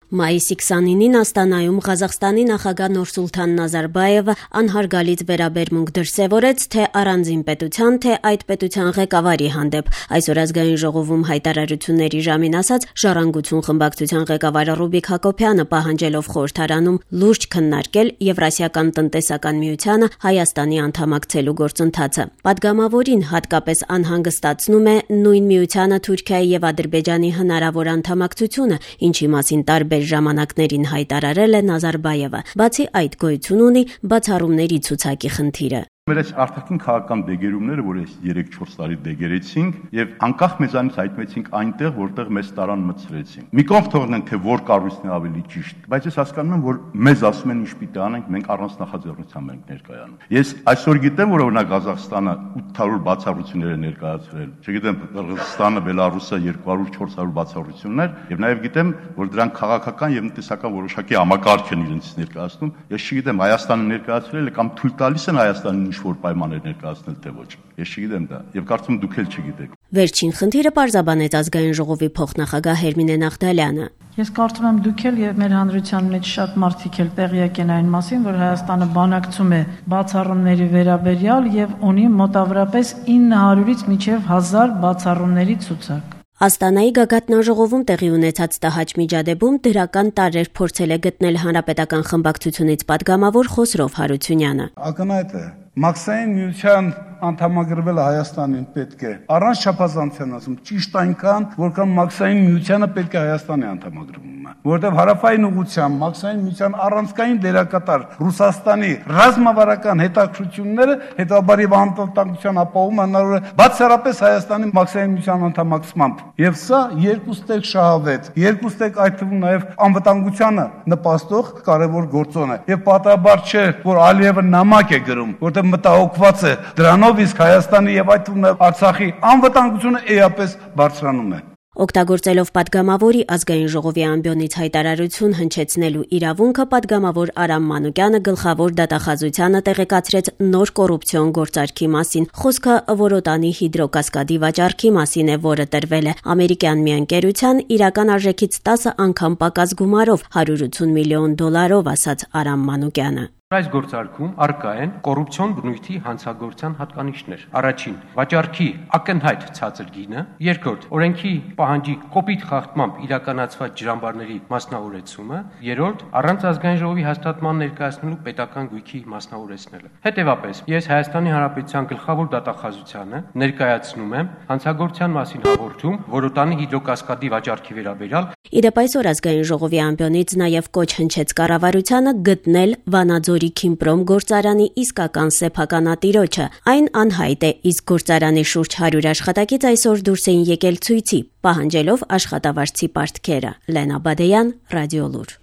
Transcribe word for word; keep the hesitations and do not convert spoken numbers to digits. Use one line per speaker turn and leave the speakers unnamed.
Մայիսի քսանինին Աստանայում Ղազախստանի նախագահ Նուրսուլթան Նազարբայևը անհարգալից վերաբերմունք դրսևորեց թե առանձին պետության, թե այդ պետության ղեկավարի հանդեպ։ Այսօր ազգային ժողովում հայտարարությունների ժամին ասաց Ժառանգություն խմբակցության ղեկավար Ռուբիկ Հակոբյանը, պահանջելով խորհրդարանում լուրջ քննարկել Եվրասիական տնտեսական միությանը Հայաստանի անդամակցելու գործընթացը։ Պատգամավորին հատկապես անհանգստացնում է նույն միությանը Թուրքիայի եւ Ադրբեջանի հնարավոր անդամակցությունը, ինչի մասին տարբեր ժամանակներին հայտարարել է Նազարբայևը։ Բացի այդ, գոյություն ունի բացառումների ցուցակի խնդիրը։
Մեր այս արտաքին քաղաքական դեգերումները, որ այս երեք-չորս տարի դեգերեցինք եւ անկախ մեզանից հայտնվեցինք այնտեղ, որտեղ մեզ տարան մցրեցին։ Մի կողմ թողնենք, թե որ կառույցն է ավելի ճիշտ, բայց ես հասկանում եմ, որ մեզ ասում են ինչ պիտի անենք, մենք առանց նախաձեռնության ենք ներկայանում։ Ես այսօր գիտեմ, որ օրինակ Ղազախստանը ութ հարյուր բացառություններ է ներկայացրել։ Չգիտեմ, Կырգызստանը, Բելարուսը երկու հարյուր չորս հարյուր բացառություններ, եւ նաեւ գիտեմ, որ դրանք քաղաքական եւ տնտեսական որոշակի համակարգ են իրենց ներկայացնում։ Ես չգիտեմ, Հայաստանը ներկայացրել է կամ թույլ տալիս են Հայաստանին որ պայմաններ ներկայացնել թե ոչ։ Ես չգիտեմ դա, եւ կարծում եմ դուք էլ չգիտեք։
Վերջին խնդիրը պարզաբանեց ազգային ժողովի փոխնախագահ Հերմինե Նաղդալյանը։
Ես կարծում եմ դուք էլ եւ մեր հանրության մեջ շատ մարդիկ էլ տեղյակ են այն մասին, որ Հայաստանը բանակցում է բացառումների վերաբերյալ եւ ունի մոտավորապես ինը հարյուրից մինչեւ հազար բացառումների ցուցակ։
Աստանայի գագաթնաժողովում տեղի ունեցած տհաճ միջադեպում դրական տարրեր փորձել է գտնել հանրապետական խմբակցությունից պատգամավոր Խոսրով Հարությունյանը։
Ակնհայտ է, Մաքսային միության անդամագրվելը Հայաստանին պետք է առանց չափազանցության ասում ճիշտ այնքան, որքան Մաքսային միությանը պետք է Հայաստանի անդամագրվում է, որովհետև հարավային ուղղությամբ Մաքսային միության առանցքային դերակատար Ռուսաստանի ռազմավարական հետաքրությունները հետաբար եւ անվտանգության ապահովում հնարավոր է բացառապես Հայաստանի Մաքսային միության անդամակցմամբ։ Եվ սա երկու ստեկ շահավետ, երկու ստեկ այդ թվում նաեւ անվտանգությանը նպաստող կարևոր գործոն է։ Եվ պատահաբար չէ, որ Ալիևը նամակ է գրում, որտեղ մտահոգված է դրանով, իսկ Հայաստանի եւ այդ թվում Արցախի անվտանգությունը էապես բարձրանում է։
Օգտագործելով պատգամավորի ազգային ժողովի ամբիոնից հայտարարություն հնչեցնելու իրավունքը, պատգամավոր Արամ Մանուկյանը գլխավոր դատախազությանը տեղեկացրեց նոր կոռուպցիոն գործարքի մասին։ Խոսքը Որոտանի հիդրոկասկադի վաճառքի մասին է, որը տրվել է ամերիկյան մի ընկերության իրական արժեքից տասը անգամ պակաս գումարով հարյուր ութուն միլիոն դոլարով, ասաց Արամ Մանուկյանը։
Այս գործարքում առկա են կոռուպցիոն բնույթի հանցագործության հատկանիշներ։ Առաջին՝ վաճառքի ակնհայտ ցածր գինը, երկրորդ՝ օրենքի պահանջի կոպիտ խախտմամբ իրականացված ջրամբարների մասնավորեցումը, երրորդ՝ առանց ազգային ժողովի հաստատման ներկայացնելու պետական գույքի մասնավորեցնելը։ Հետևաբար, ես Հայաստանի Հանրապետության գլխավոր դատախազությանը ներկայացնում եմ հանցագործության մասին հաղորդում Որոտանի հիդրոկասկադի վաճառքի վերաբերյալ։
Իդեպ այսօր ազգային ժողովի ամբիոնից նաև կոչ հնչեց կառավարությանը գտնել Վանաձորի Քիմպրոմ գործարանի իսկական սեփականատիրոջը։ Այն անհայտ է, իսկ գործարանի շուրջ հարյուր աշխատակից այսօր դուրս էին եկել ցույցի, պահանջելով աշխատավարձի պարտքերը։ Լենա Բադեյան, Ռադիոլուր։